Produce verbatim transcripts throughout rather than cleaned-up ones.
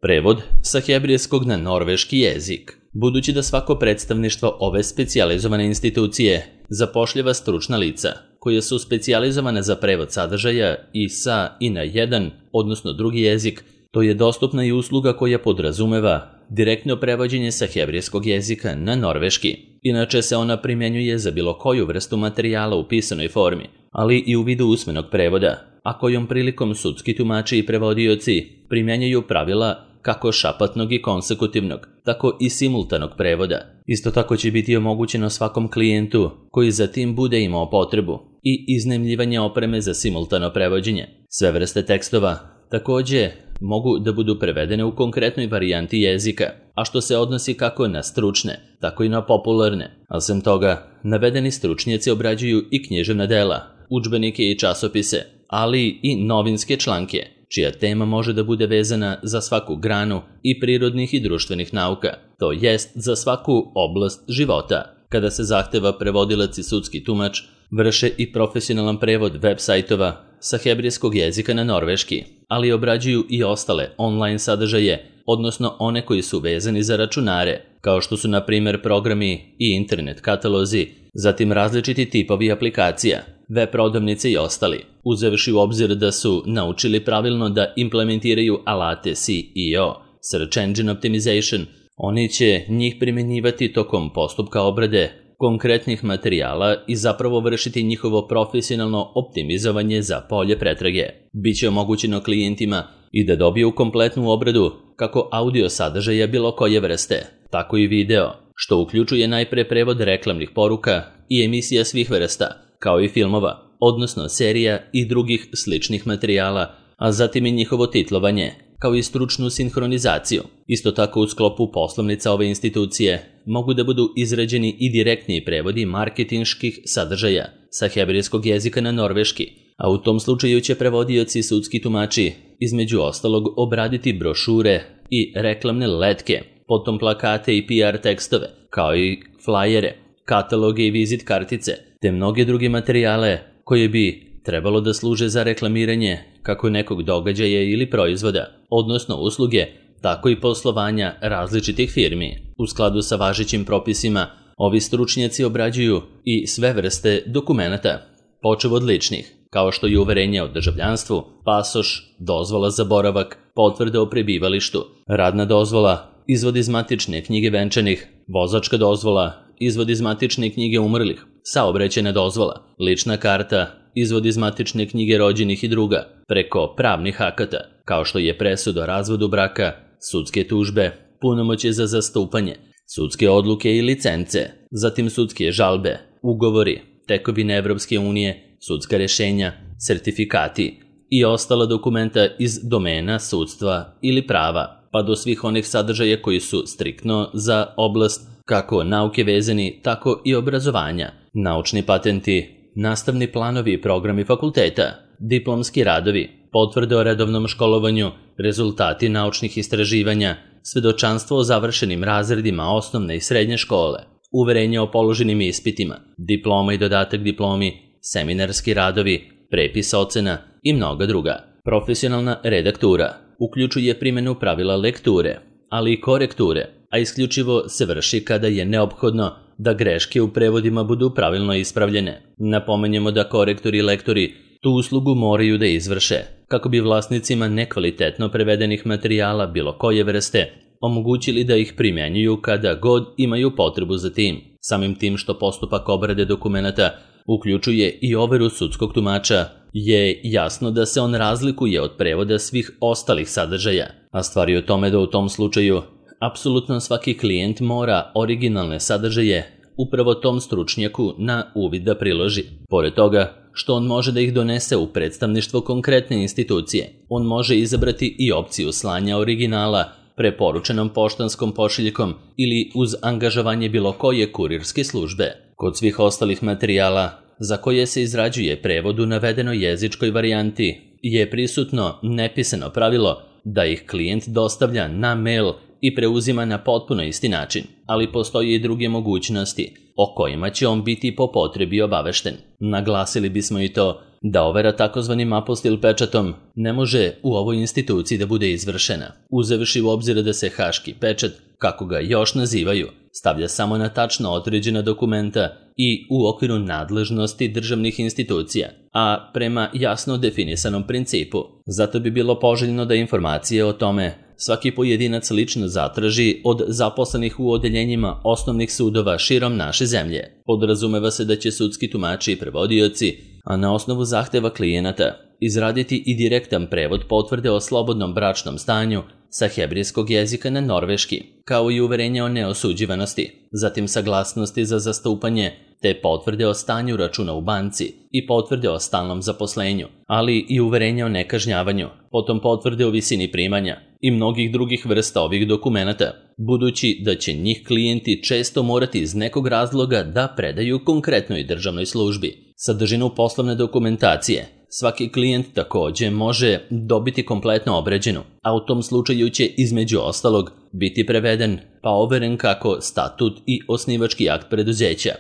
Prevod sa hebrejskog na norveški jezik. Budući da svako predstavništvo ove specijalizovane institucije zapošljava stručna lica, koja su specijalizovane za prevod sadržaja i sa i na jedan, odnosno drugi jezik, to je dostupna i usluga koja podrazumeva direktno prevođenje sa hebrejskog jezika na norveški. Inače se ona primjenjuje za bilo koju vrstu materijala u pisanoj formi, ali i u vidu usmenog prevoda, a kojom prilikom sudski tumači i prevodioci primjenjuju pravila kako šapatnog i konsekutivnog, tako i simultanog prevoda. Isto tako će biti omogućeno svakom klijentu koji za tim bude imao potrebu i iznajmljivanje opreme za simultano prevođenje. Sve vrste tekstova takođe mogu da budu prevedene u konkretnoj varijanti jezika, a što se odnosi kako na stručne, tako i na popularne. A sem toga, navedeni stručnjaci obrađuju i književna dela, udžbenike i časopise, ali i novinske članke, čija tema može da bude vezana za svaku granu i prirodnih i društvenih nauka, to jest za svaku oblast života. Kada se zahteva prevodilac i sudski tumač, vrše i profesionalan prevod web sajtova sa hebrejskog jezika na norveški, ali obrađuju i ostale online sadržaje, odnosno one koji su vezani za računare, kao što su na primer programi i internet katalozi, zatim različiti tipovi aplikacija, web prodavnice i ostali, uzevši u obzir da su naučili pravilno da implementiraju alate S E O, Search Engine Optimization. Oni će njih primjenjivati tokom postupka obrade konkretnih materijala i zapravo vršiti njihovo profesionalno optimizovanje za polje pretrage. Biće omogućeno klijentima i da dobiju kompletnu obradu kako audio sadržaja bilo koje vrste, tako i video, što uključuje najpre prevod reklamnih poruka i emisija svih vrsta, kao i filmova, odnosno serija i drugih sličnih materijala, a zatim i njihovo titlovanje, kao i stručnu sinhronizaciju. Isto tako u sklopu poslovnica ove institucije mogu da budu izrađeni i direktni prevodi marketinških sadržaja sa hebrejskog jezika na norveški, a u tom slučaju će prevodioci i sudski tumači između ostalog obraditi brošure i reklamne letke, potom plakate i P R tekstove, kao i flajere, kataloge i vizit kartice, te mnoge druge materijale koje bi trebalo da služe za reklamiranje kako nekog događaja ili proizvoda, odnosno usluge, tako i poslovanja različitih firmi. U skladu sa važećim propisima, ovi stručnjaci obrađuju i sve vrste dokumenata, počev od ličnih, kao što je uverenje o državljanstvu, pasoš, dozvola za boravak, potvrda o prebivalištu, radna dozvola, izvod iz matične knjige venčanih, vozačka dozvola, izvod iz matične knjige umrlih, saobraćajna dozvola, lična karta, izvod iz matične knjige rođenih i druga, preko pravnih akata, kao što je presuda o razvodu braka, sudske tužbe, punomoćje za zastupanje, sudske odluke i licence, zatim sudske žalbe, ugovori, tekovine Evropske unije, sudska rešenja, sertifikati i ostala dokumenta iz domena sudstva ili prava, pa do svih onih sadržaja koji su striktno za oblast kako nauke vezani, tako i obrazovanja, naučni patenti, nastavni planovi i programi fakulteta, diplomski radovi, potvrde o redovnom školovanju, rezultati naučnih istraživanja, svedočanstvo o završenim razredima osnovne i srednje škole, uverenje o položenim ispitima, diploma i dodatak diplomi, seminarski radovi, prepis ocena i mnoga druga. Profesionalna redaktura uključuje primjenu pravila lekture, ali i korekture, a isključivo se vrši kada je neophodno da greške u prevodima budu pravilno ispravljene. Napomenjemo da korektori i lektori tu uslugu moraju da izvrše, kako bi vlasnicima nekvalitetno prevedenih materijala bilo koje vrste omogućili da ih primjenjuju kada god imaju potrebu za tim. Samim tim što postupak obrade dokumenata uključuje i overu sudskog tumača, je jasno da se on razlikuje od prevoda svih ostalih sadržaja, a stvar je u tome da u tom slučaju apsolutno svaki klijent mora originalne sadržaje upravo tom stručnjaku na uvid da priloži. Pored toga što on može da ih donese u predstavništvo konkretne institucije, on može izabrati i opciju slanja originala preporučenom poštanskom pošiljkom ili uz angažovanje bilo koje kurirske službe. Kod svih ostalih materijala za koje se izrađuje prevod u navedenoj jezičkoj varijanti je prisutno nepisano pravilo da ih klijent dostavlja na mail i preuzima na potpuno isti način, ali postoje i druge mogućnosti o kojima će on biti po potrebi obavešten. Naglasili bismo i to da overa takozvanim apostil pečatom ne može u ovoj instituciji da bude izvršena, uzevši u obzir da se haški pečat, kako ga još nazivaju, stavlja samo na tačno određena dokumenta i u okviru nadležnosti državnih institucija, a prema jasno definisanom principu. Zato bi bilo poželjno da informacije o tome svaki pojedinac lično zatraži od zaposlenih u odeljenjima osnovnih sudova širom naše zemlje. Podrazumeva se da će sudski tumači i prevodioci, a na osnovu zahteva klijenata, izraditi i direktan prevod potvrde o slobodnom bračnom stanju sa hebrejskog jezika na norveški, kao i uverenje o neosuđivanosti, zatim saglasnosti za zastupanje, te potvrde o stanju računa u banci i potvrde o stalnom zaposlenju, ali i uverenje o nekažnjavanju, potom potvrde o visini primanja i mnogih drugih vrsta ovih dokumenata, budući da će njih klijenti često morati iz nekog razloga da predaju konkretnoj državnoj službi. Sadržinu poslovne dokumentacije svaki klijent takođe može dobiti kompletno obrađenu, a u tom slučaju će između ostalog biti preveden pa overen kako statut i osnivački akt preduzeća,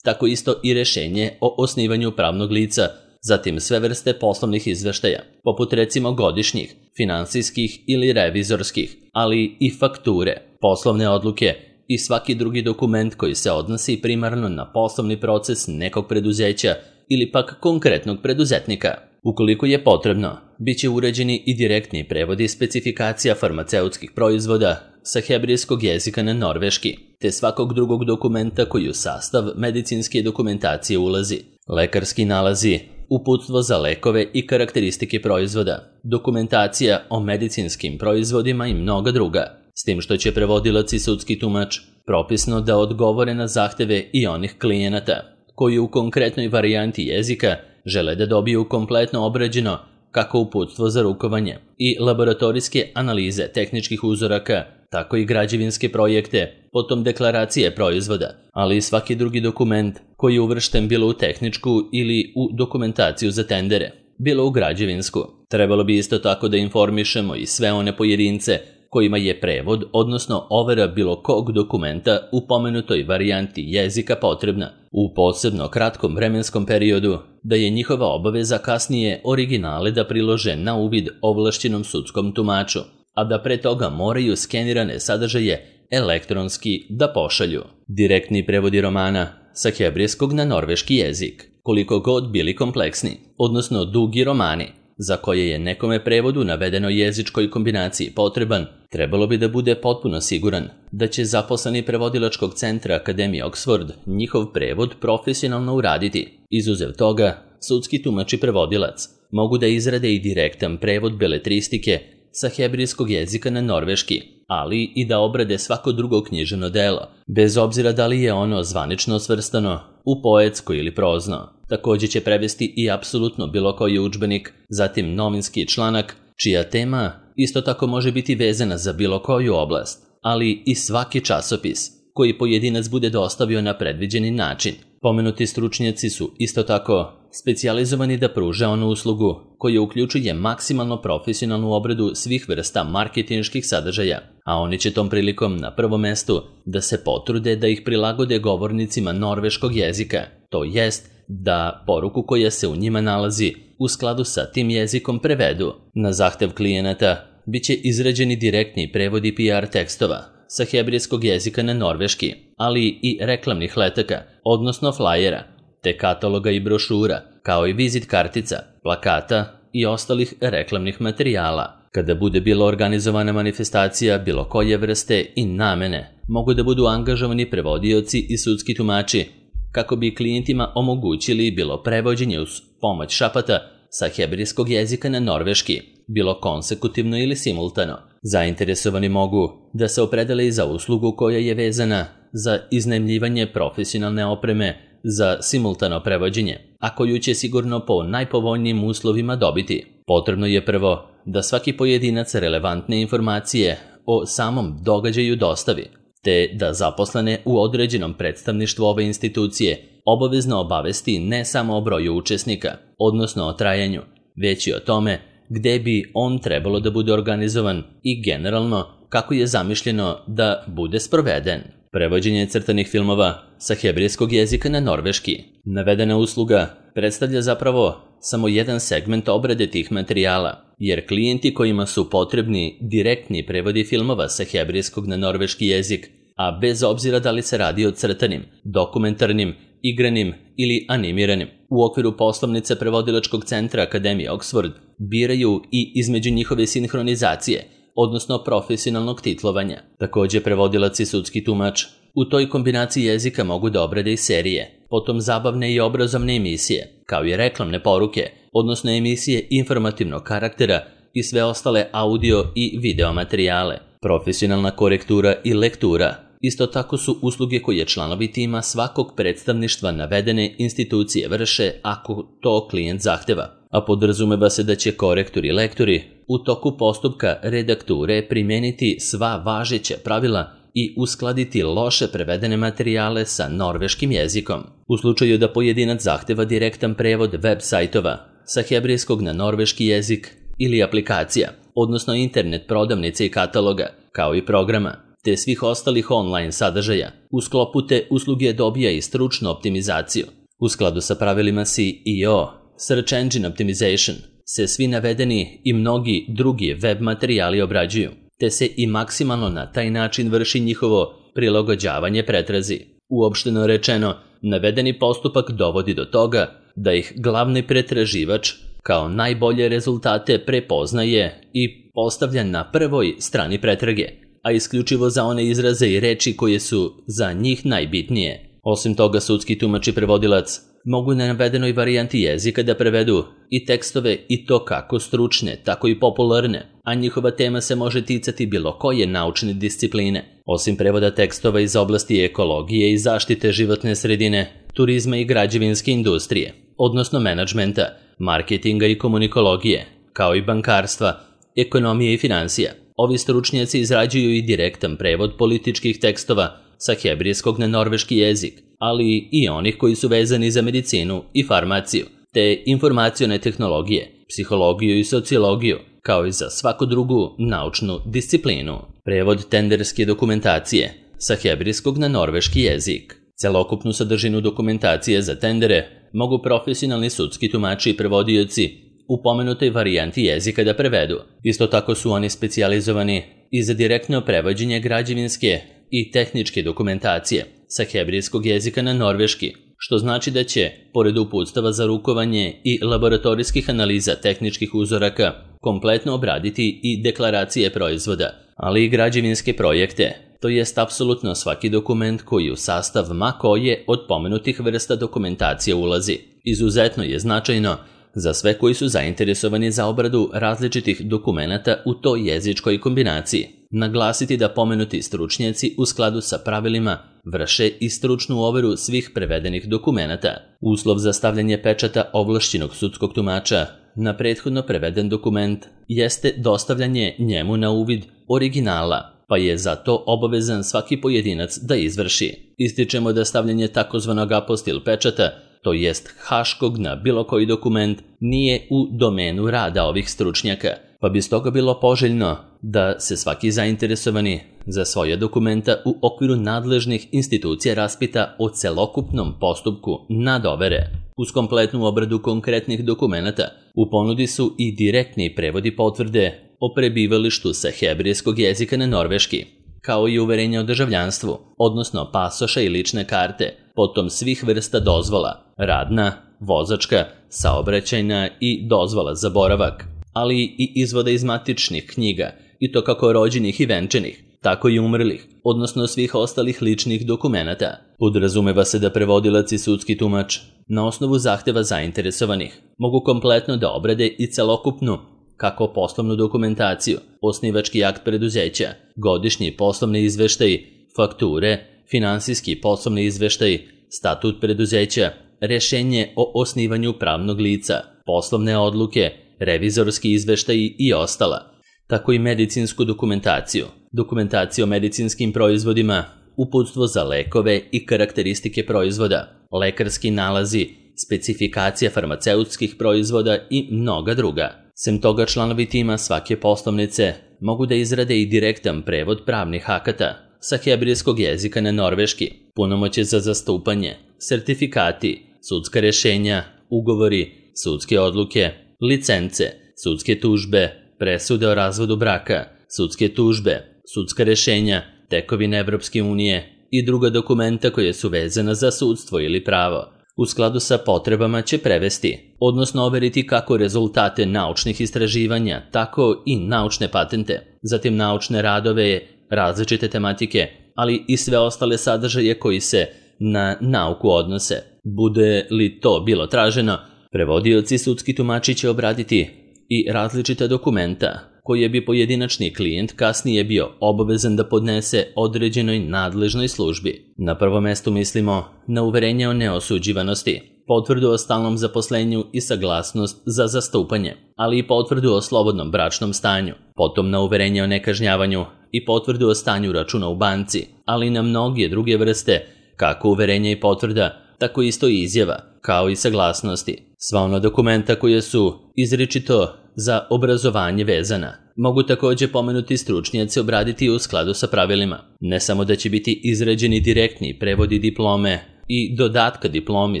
tako isto i rešenje o osnivanju pravnog lica, zatim sve vrste poslovnih izveštaja, poput recimo godišnjih, finansijskih ili revizorskih, ali i fakture, poslovne odluke i svaki drugi dokument koji se odnosi primarno na poslovni proces nekog preduzeća ili pak konkretnog preduzetnika. Ukoliko je potrebno, bit će uređeni i direktni prevodi specifikacija farmaceutskih proizvoda sa hebrejskog jezika na norveški, te svakog drugog dokumenta koji u sastav medicinske dokumentacije ulazi. Lekarski nalazi, uputstvo za lekove i karakteristike proizvoda, dokumentacija o medicinskim proizvodima i mnoga druga, s tim što će prevodilac i sudski tumač propisno da odgovore na zahteve i onih klijenata koji u konkretnoj varijanti jezika žele da dobiju kompletno obrađeno kako uputstvo za rukovanje i laboratorijske analize tehničkih uzoraka, tako i građevinske projekte, potom deklaracije proizvoda, ali i svaki drugi dokument koji je uvršten bilo u tehničku ili u dokumentaciju za tendere, bilo u građevinsku. Trebalo bi isto tako da informišemo i sve one pojedince kojima je prevod, odnosno overa bilo kog dokumenta u pomenutoj varijanti jezika potrebna u posebno kratkom vremenskom periodu, da je njihova obaveza kasnije originale da prilože na uvid ovlašćenom sudskom tumaču, a da pre toga moraju skenirane sadržaje elektronski da pošalju. Direktni prevodi romana sa hebrejskog na norveški jezik, koliko god bili kompleksni, odnosno dugi romani, za koje je nekome prevodu navedeno jezičkoj kombinaciji potreban, trebalo bi da bude potpuno siguran da će zaposleni prevodilačkog centra Akademije Oxford njihov prevod profesionalno uraditi. Izuzev toga, sudski tumač i prevodilac mogu da izrade i direktan prevod beletristike sa hebrejskog jezika na norveški, ali i da obrade svako drugo književno delo, bez obzira da li je ono zvanično svrstano u poetsko ili prozno. Također će prevesti i apsolutno bilo koji udžbenik, zatim novinski članak, čija tema isto tako može biti vezana za bilo koju oblast, ali i svaki časopis koji pojedinac bude dostavio na predviđeni način. Pomenuti stručnjaci su isto tako specijalizovani da pruže onu uslugu koja uključuje maksimalno profesionalnu obradu svih vrsta marketinških sadržaja, a oni će tom prilikom na prvom mestu da se potrude da ih prilagode govornicima norveškog jezika, to jest da poruku koja se u njima nalazi u skladu sa tim jezikom prevedu. Na zahtev klijenata bit će izrađeni direktni prevodi P R tekstova sa hebrejskog jezika na norveški, ali i reklamnih letaka, odnosno flajera, te kataloga i brošura, kao i vizit kartica, plakata i ostalih reklamnih materijala. Kada bude bila organizovana manifestacija bilo koje vrste i namene, mogu da budu angažovani prevodioci i sudski tumači, kako bi klijentima omogućili bilo prevođenje uz pomoć šapata sa hebrejskog jezika na norveški, bilo konsekutivno ili simultano. Zainteresovani mogu da se opredele i za uslugu koja je vezana za iznajmljivanje profesionalne opreme za simultano prevođenje, a koju će sigurno po najpovoljnijim uslovima dobiti. Potrebno je prvo da svaki pojedinac relevantne informacije o samom događaju dostavi, te da zaposlene u određenom predstavništvu ove institucije obavezno obavesti ne samo o broju učesnika, odnosno o trajanju, već i o tome gde bi on trebalo da bude organizovan i generalno kako je zamišljeno da bude sproveden. Prevođenje crtanih filmova sa hebrejskog jezika na norveški. Navedena usluga predstavlja zapravo samo jedan segment obrade tih materijala, jer klijenti kojima su potrebni direktni prevodi filmova sa hebrejskog na norveški jezik, a bez obzira da li se radi o crtanim, dokumentarnim, igranim ili animiranim, u okviru poslovnice prevodilačkog centra Akademije Oxford biraju i između njihove sinhronizacije, odnosno profesionalnog titlovanja. Također prevodilac i sudski tumač u toj kombinaciji jezika mogu da obrade i serije, potom zabavne i obrazovne emisije, kao i reklamne poruke, odnosno emisije informativnog karaktera i sve ostale audio i video materijale. Profesionalna korektura i lektura isto tako su usluge koje članovi tima svakog predstavništva navedene institucije vrše ako to klijent zahteva, a podrazumeva se da će korektori i lektori u toku postupka redakture primeniti sva važeća pravila i uskladiti loše prevedene materijale sa norveškim jezikom. U slučaju da pojedinac zahteva direktan prevod web sajtova sa hebrejskog na norveški jezik ili aplikacija, odnosno internet prodavnice i kataloga, kao i programa, te svih ostalih online sadržaja, u sklopu te usluge dobija i stručnu optimizaciju. U skladu sa pravilima S E O, Search Engine Optimization, se svi navedeni i mnogi drugi web materijali obrađuju, te se i maksimalno na taj način vrši njihovo prilagođavanje pretrazi. Uopšteno rečeno, navedeni postupak dovodi do toga da ih glavni pretraživač kao najbolje rezultate prepoznaje i postavlja na prvoj strani pretrage, a isključivo za one izraze i reči koje su za njih najbitnije. Osim toga, sudski tumač i prevodilac mogu na navedenoj varijanti jezika da prevedu i tekstove i to kako stručne, tako i popularne, a njihova tema se može ticati bilo koje naučne discipline. Osim prevoda tekstova iz oblasti ekologije i zaštite životne sredine, turizma i građevinske industrije, odnosno menadžmenta, marketinga i komunikologije, kao i bankarstva, ekonomije i financija. Ovi stručnjaci izrađuju i direktan prevod političkih tekstova sa hebrejskog na norveški jezik, ali i onih koji su vezani za medicinu i farmaciju, te informacione tehnologije, psihologiju i sociologiju, kao i za svaku drugu naučnu disciplinu. Prevod tenderske dokumentacije sa hebrejskog na norveški jezik. Celokupnu sadržinu dokumentacije za tendere mogu profesionalni sudski tumači i prevodioci u pomenutoj varijanti jezika da prevedu. Isto tako su oni specijalizovani i za direktno prevođenje građevinske i tehničke dokumentacije sa hebrejskog jezika na norveški, što znači da će, pored uputstava za rukovanje i laboratorijskih analiza tehničkih uzoraka, kompletno obraditi i deklaracije proizvoda, ali i građevinske projekte, to jest apsolutno svaki dokument koji u sastav ma koje od pomenutih vrsta dokumentacije ulazi. Izuzetno je značajno za sve koji su zainteresovani za obradu različitih dokumenata u toj jezičkoj kombinaciji naglasiti da pomenuti stručnjaci u skladu sa pravilima vrše i stručnu overu svih prevedenih dokumenata. Uslov za stavljanje pečata ovlašćenog sudskog tumača na prethodno preveden dokument jeste dostavljanje njemu na uvid originala, pa je za to obavezan svaki pojedinac da izvrši. Ističemo da stavljanje takozvanog apostil pečata, to jest haškog na bilo koji dokument, nije u domenu rada ovih stručnjaka, pa bi stoga bilo poželjno da se svaki zainteresovani za svoje dokumenta u okviru nadležnih institucija raspita o celokupnom postupku nadovere. Uz kompletnu obradu konkretnih dokumenata u ponudi su i direktni prevodi potvrde o prebivalištu sa hebrejskog jezika na norveški, kao i uverenja o državljanstvu, odnosno pasoša i lične karte, potom svih vrsta dozvola, radna, vozačka, saobraćajna i dozvola za boravak, ali i izvoda iz matičnih knjiga, i to kako rođenih i venčanih, tako i umrlih, odnosno svih ostalih ličnih dokumenata. Podrazumeva se da prevodilac i sudski tumač, na osnovu zahteva zainteresovanih, mogu kompletno da obrade i celokupnu, kako poslovnu dokumentaciju, osnivački akt preduzeća, godišnji poslovni izveštaj, fakture, finansijski poslovni izveštaj, statut preduzeća, rešenje o osnivanju pravnog lica, poslovne odluke, revizorski izveštaj i ostala, tako i medicinsku dokumentaciju, dokumentaciju o medicinskim proizvodima, uputstvo za lekove i karakteristike proizvoda, lekarski nalazi, specifikacija farmaceutskih proizvoda i mnoga druga. Sem toga, članovi tima svake poslovnice mogu da izrade i direktan prevod pravnih akata sa hebrejskog jezika na norveški, punomoćje za zastupanje, sertifikati, sudska rešenja, ugovori, sudske odluke, licence, sudske tužbe, presude o razvodu braka, sudske tužbe, sudska rešenja, tekovine Evropske unije i druga dokumenta koje su vezana za sudstvo ili pravo. U skladu sa potrebama će prevesti, odnosno overiti kako rezultate naučnih istraživanja, tako i naučne patente, zatim naučne radove, različite tematike, ali i sve ostale sadržaje koji se na nauku odnose. Bude li to bilo traženo, prevodioci sudski tumači će obraditi i različita dokumenta koje bi pojedinačni klijent kasnije bio obavezan da podnese određenoj nadležnoj službi. Na prvom mestu mislimo na uverenje o neosuđivanosti, potvrdu o stalnom zaposlenju i saglasnost za zastupanje, ali i potvrdu o slobodnom bračnom stanju, potom na uverenje o nekažnjavanju i potvrdu o stanju računa u banci, ali i na mnoge druge vrste, kako uverenja i potvrda, tako isto i izjava, kao i saglasnosti. Sva ona dokumenta koje su izričito za obrazovanje vezana. Mogu također pomenuti stručnjaci obraditi u skladu sa pravilima. Ne samo da će biti izrađeni direktni prevodi diplome i dodatka diplomi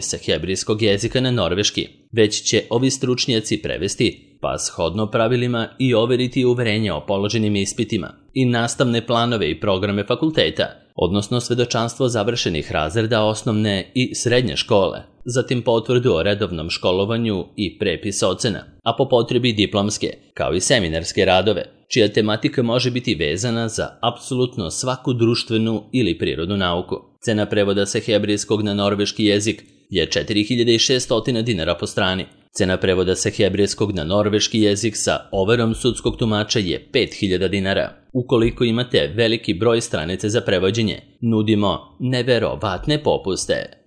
sa hebrejskog jezika na norveški, već će ovi stručnjaci prevesti, pa shodno pravilima i overiti uverenja o položenim ispitima i nastavne planove i programe fakulteta, odnosno svedočanstvo završenih razreda osnovne i srednje škole, zatim potvrdu o redovnom školovanju i prepis ocena, a po potrebi diplomske, kao i seminarske radove, čija tematika može biti vezana za apsolutno svaku društvenu ili prirodnu nauku. Cena prevoda sa hebrejskog na norveški jezik je četiri hiljade šessto dinara po strani. Cena prevoda sa hebrejskog na norveški jezik sa overom sudskog tumača je pet hiljada dinara. Ukoliko imate veliki broj stranice za prevođenje, nudimo neverovatne popuste.